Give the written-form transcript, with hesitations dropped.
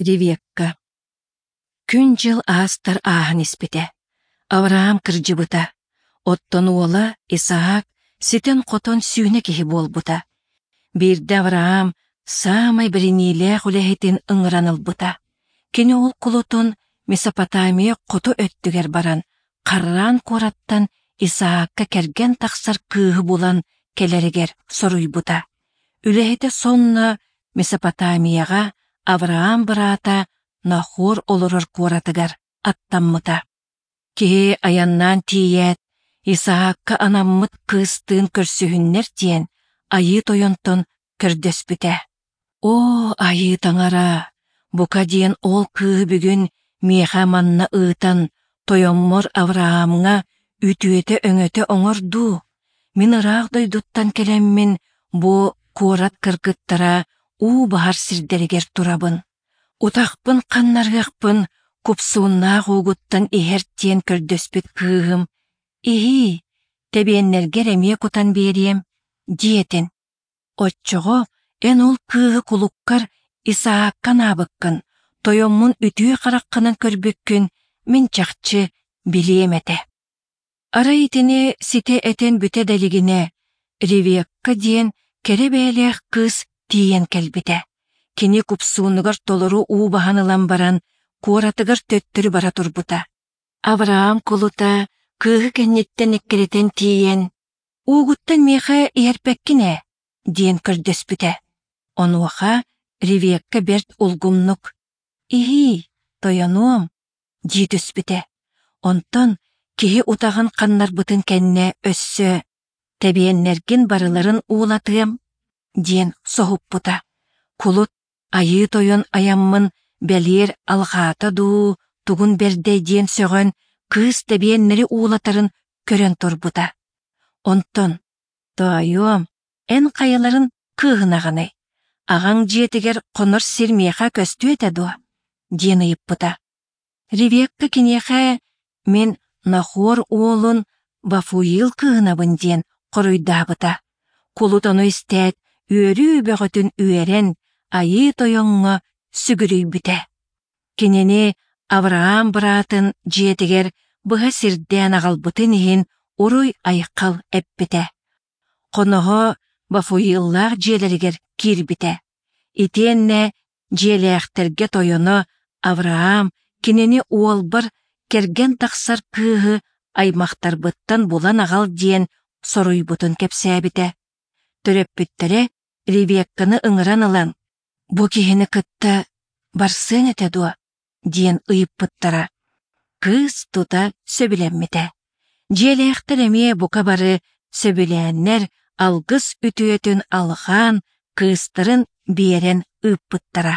Ревекка Күн-дьыл аастар ааһан испитэ. Авраам кырдьыбыта. Оттон уола Исаак ситэн-хотон сүүнэ киһи буолбута. Биирдэ Авраам саамай бэриниилээх үлэһитин ыҥыран ылбыта. Кини ол кулутун Месопотамия хоту өттүгэр баран, Харран куораттан Исаакка кэргэн тахсар кыыһы булан кэлэригэр соруйбута. Үлэһитэ сонно Месопотамияҕа Авраам быраата Нахор олорор куоратыгар аттаммыта. Киһи айаннаан тиийээт, Исаакка анаммыт кыыстыын көрсүһүннэр диэн Айыы Тойонтон көрдөспүтэ. Оо, Айыы Таҥара, бука диэн ол кыыһы бүгүн миэхэ манна ыытан, тойоммор Авраамҥа үтүөтэ-өҥөтө оҥор дуу? Мин ыраах дойдуттан кэлэммин бу куорат кыргыттара уу баһар сирдэригэр турабын. Утахпын ханнарыахпын купсууннаах уугуттан иһэр диэн көрдөспүт кыыһым «Иһиий, тэбиэннэргэр эмиэ кутан биэриэм» диэтин. Оччоҕо эн ол кыыһы кулуккар Исаакка анаабыккын, тойоммун үтүө хараххынан көрбүккүн мин чахчы билиэм этэ. Арай итини ситэ этэн бүтэ да илигинэ, Ревекка диэн кэрэ бэйэлээх кыыс тиийэн кэлбитэ. Кини купсуунугар толору уу баһан ылан баран, куоратыгар төттөрү бара турбута. Авраам кулута кыыһы кэнниттэн эккирэтэн тиийэн, «Уугуттан миэхэ иһэрпэккин ээ» диэн көрдөспүтэ. Онуоха Ревекка бэрт улгумнук «Иһиий, тойонуом» дии түспүтэ. Онтон киһи утаҕын ханнарбытын кэннэ өссө «Тэбиэннэргин барыларын уулатыам» диэн соһуппута. Кулут Айыы Тойон айаммын бэлиэр алҕаата дуу, тугун бэрдэй диэн сөҕөн, кыыс тэбиэннэри уулатарын көрөн турбута. Онтон «Тоойуом, эн хайаларын кыыһынаҕыный? Аҕаҥ дьиэтигэр хонор сир миэхэ көстүө этэ дуо?» диэн ыйыппыта. Ревекка киниэхэ «Мин Нахор уолун Вафуил кыыһынабын» диэн хоруйдаабыта. Кулут ону истээт, үөрүү бөҕөтүн үөрэн, Айыы Тойоҥҥо сүгүрүйбүтэ. Кинини Авраам быраатын дьиэтигэр быһа сирдээн аҕалбытын иһин уруй-айхал эппитэ. Хоноһо Вафуиллаах дьиэлэригэр киирбитэ. Итиэннэ дьиэлээхтэргэ тойоно Авраам кинини уолбар кэргэн тахсар кыыһы аймахтарбыттан булан аҕал диэн соруйбутун кэпсээбитэ. Төрөппүттэрэ Ревекканы ыҥыран ылан, «Бу киһини кытта барсыаҥ этэ дуо?» диэн ыйыппыттара. Кыыс тута сөбүлэммитэ. Дьиэлээхтэр эмиэ бука бары сөбүлээннэр алгыс үтүөтүн алҕаан, кыыстарын биэрэн ыыппыттара.